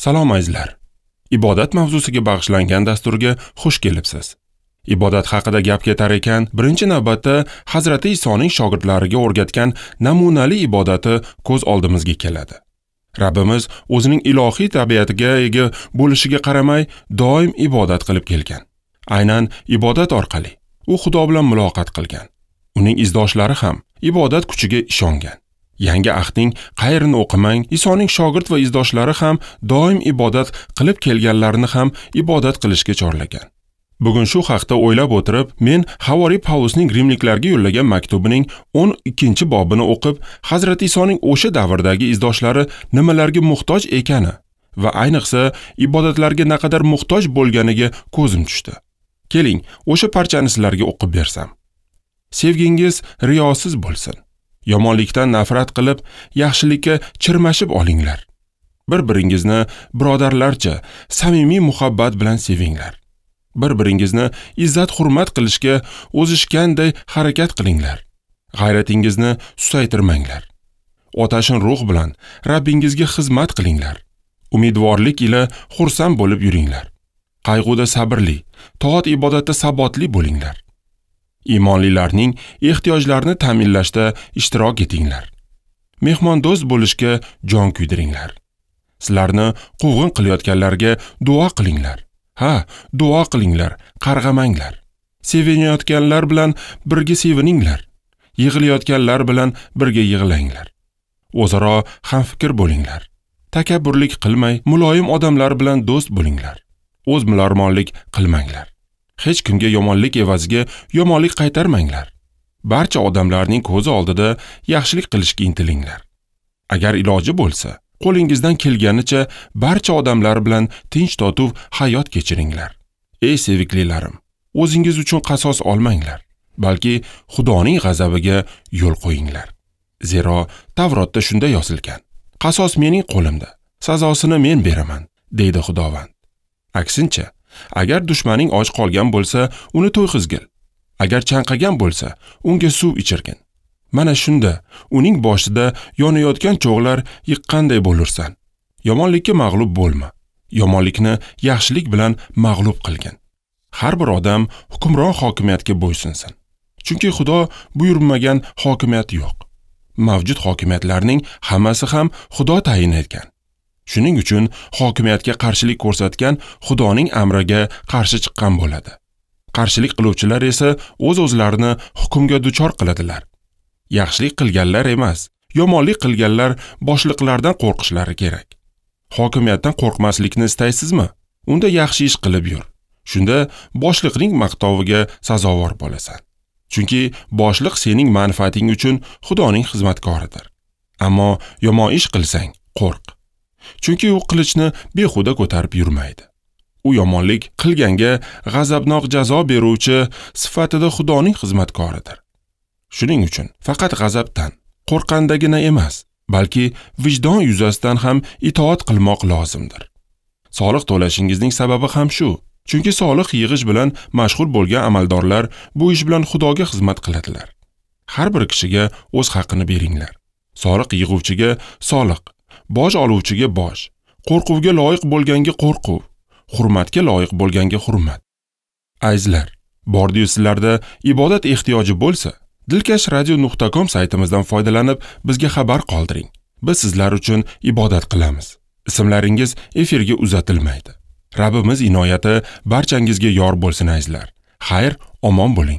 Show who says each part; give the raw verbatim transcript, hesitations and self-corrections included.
Speaker 1: Salom azizlar. Ibodat mavzusiga bag'ishlangan dasturga xush kelibsiz. Ibodat haqida gap ketar ekan, birinchi navbatda Hazrati Isoning shogirdlariga o'rgatgan namunali ibodati ko'z oldimizga keladi. Rabbimiz o'zining ilohiy tabiatiga ega bo'lishiga qaramay, doim ibodat qilib kelgan. Aynan ibodat orqali u Xudo bilan muloqot qilgan. Uning izdoshlari ham ibodat kuchiga ishongan. Yangi ahdning qayrini o'qimang, Isoning shogird va izdoshlari ham doim ibodat qilib kelganlarini ham ibodat qilishga chorlagan. Bugun shu haqda o'ylab o'tirib, men Havoriy Pavlusning rimliklarga yo'llagan maktubining o'n ikkinchi bobini o'qib, Hazrati Isoning o'sha davrdagi izdoshlari nimalarga muhtoj ekani va ayniqsa ibodatlarga naqadar muhtoj bo'lganiga ko'zim tushdi. Keling, o'sha parchani sizlarga o'qib bersam. Sevgingiz riyosiz bo'lsin. Yomonlikdan nafrat qilib, yaxshilikka chirmashib olinglar. Bir-biringizni birodarlarcha samimiy muhabbat bilan sevinglar. Bir-biringizni izzat-hurmat qilishga o'zishganday harakat qilinglar. G'ayratingizni susaytirmanglar. Otashin ruh bilan Rabbingizga xizmat qilinglar. Umidvorlik ila xursand bo'lib yuringlar. Qayg'uda sabrli, toat ibodatda sabotli bo'linglar. Iymonlilarning ehtiyojlarini ta'minlashda ishtirok etinglar. Mehmondo'st bo'lishga jon kuydiringlar. Sizlarni quvg'in qilayotganlarga duo qilinglar. Ha, duo qilinglar, qarg'amanglar. Sevinayotganlar bilan birga sevininglar. Yig'layotganlar bilan birga yig'langlar. O'zaro hamfikr bo'linglar. Takabburlik qilmay, muloyim odamlar bilan do'st bo'linglar. O'z mularmonlik qilmanglar. Hech kimga yomonlik evaziga yomonlik qaytarmanglar. Barcha odamlarning ko'zi oldida yaxshilik qilishga intilinglar. Agar iloji bo'lsa, qo'lingizdan kelganicha barcha odamlar bilan tinch totuv hayot kechiringlar. Ey seviklilarim, o'zingiz uchun qasos olmanglar, balki Xudoning g'azabiga yo'l qo'yinglar. Zero Tavrotda shunday yozilgan: Qasos mening qo'limda, sazosini men beraman, deydi Xudovand. Aksincha, agar dushmaning och qolgan bo'lsa, uni to'yg'izgil. Agar chanqagan bo'lsa, unga suv ichirgin. Mana shunda uning boshida yonayotgan cho'g'lar yiqqanday bo'lursan. Yomonlikka mag'lub bo'lma. Yomonlikni yaxshilik bilan mag'lub qilgin. Har bir odam hukmron hokimiyatga bo'ysunsin. Chunki Xudo buyurmagan hokimiyat yo'q. Mavjud hokimiyatlarning hammasi ham Xudo tayin etgan. Shuning uchun hokimiyatga qarshilik ko'rsatgan Xudoning amriga qarshi chiqqan bo'ladi. Qarshilik qiluvchilar esa o'z-o'zlarini hukmga duchor qiladilar. Yaxshilik qilganlar emas, yomonlik qilganlar boshliqlardan qo'rqishlari kerak. Hokimiyatdan qo'rqmaslikni istaysizmi? Unda yaxshi ish qilib yur. Shunda boshliqning maqtoviga sazovor bo'lasan. Chunki boshliq sening manfaating uchun Xudoning xizmatkoridir. Ammo yomon ish qilsang, qo'rq. Chunki u qilichni behuda ko'tarib yurmaydi. U yomonlik qilganga g'azabnoq jazo beruvchi sifatida Xudoning xizmatkoridir. Shuning uchun faqat g'azabdan qo'rqqandagina emas, balki vijdon yuzasidan ham itoat qilmoq lozimdir. Soliq to'lashingizning sababi ham shu. Chunki soliq yig'ish bilan mashg'ul bo'lgan amaldorlar bu ish bilan Xudoga xizmat qiladilar. Har bir kishiga o'z haqini beringlar. Soliq yig'uvchiga soliq, boj oluvchiga boj, qo'rquvga loyiq bo'lganga qo'rquv, hurmatga loyiq bo'lganga hurmat. Azizlar, bordiyu sizlarda ibodat ehtiyoji bo'lsa, dilkash radio nuqta com saytimizdan foydalanib bizga xabar qoldiring. Biz sizlar uchun ibodat qilamiz. Ismlaringiz efirga uzatilmaydi. Rabbimiz inoyati barchangizga yor bo'lsin azizlar. Xayr, omon bo'ling.